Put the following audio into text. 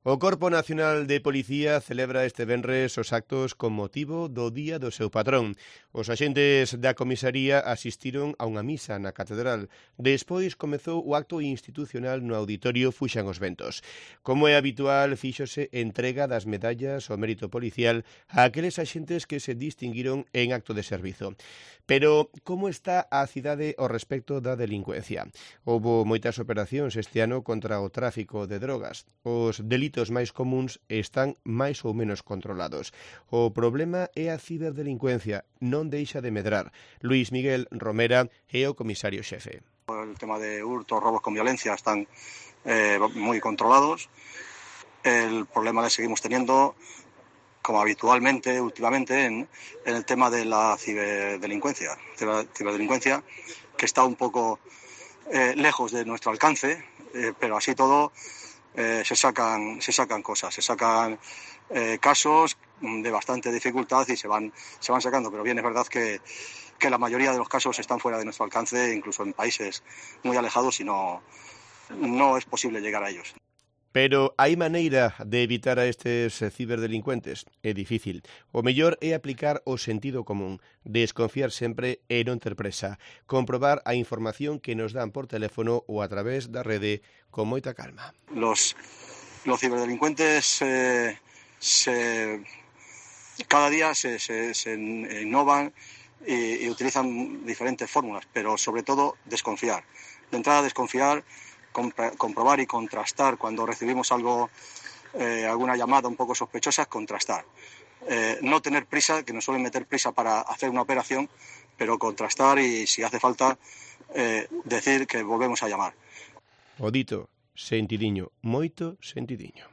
O Corpo Nacional de Policía celebra este venres os actos con motivo do Día do seu patrón. Os axentes da comisaría asistiron a unha misa na catedral. Despois comezou o acto institucional no auditorio Fuxan os Ventos. Como é habitual, fíxose entrega das medallas ao mérito policial a aqueles axentes que se distinguiron en acto de servizo. Pero como está a cidade ao respecto da delincuencia? Houbo moitas operacións este ano contra o tráfico de drogas. Os delitos máis comuns están máis ou menos controlados. O problema é a ciberdelincuencia, non deixa de medrar. Luís Miguel Romera é o comisario xefe. El tema de hurtos, robos con violencia están muy controlados. El problema que seguimos teniendo, como habitualmente, últimamente, en el tema de la ciberdelincuencia, que está un poco lejos de nuestro alcance, pero así todo se sacan cosas, se sacan casos de bastante dificultad y se van sacando, pero bien es verdad que la mayoría de los casos están fuera de nuestro alcance, incluso en países muy alejados, y no es posible llegar a ellos. Pero hai maneira de evitar a estes ciberdelincuentes? É difícil. O mellor é aplicar o sentido común, desconfiar sempre e non ter presa, comprobar a información que nos dan por teléfono ou a través da rede con moita calma. Los ciberdelincuentes cada día se innovan y utilizan diferentes fórmulas, pero sobre todo desconfiar. De entrada desconfiar, comprobar y contrastar cuando recibimos alguna llamada un poco sospechosa, contrastar. No tener prisa, que nos suelen meter prisa para hacer una operación, pero contrastar y, si hace falta, decir que volvemos a llamar. O dito, sentidiño, moito sentidiño.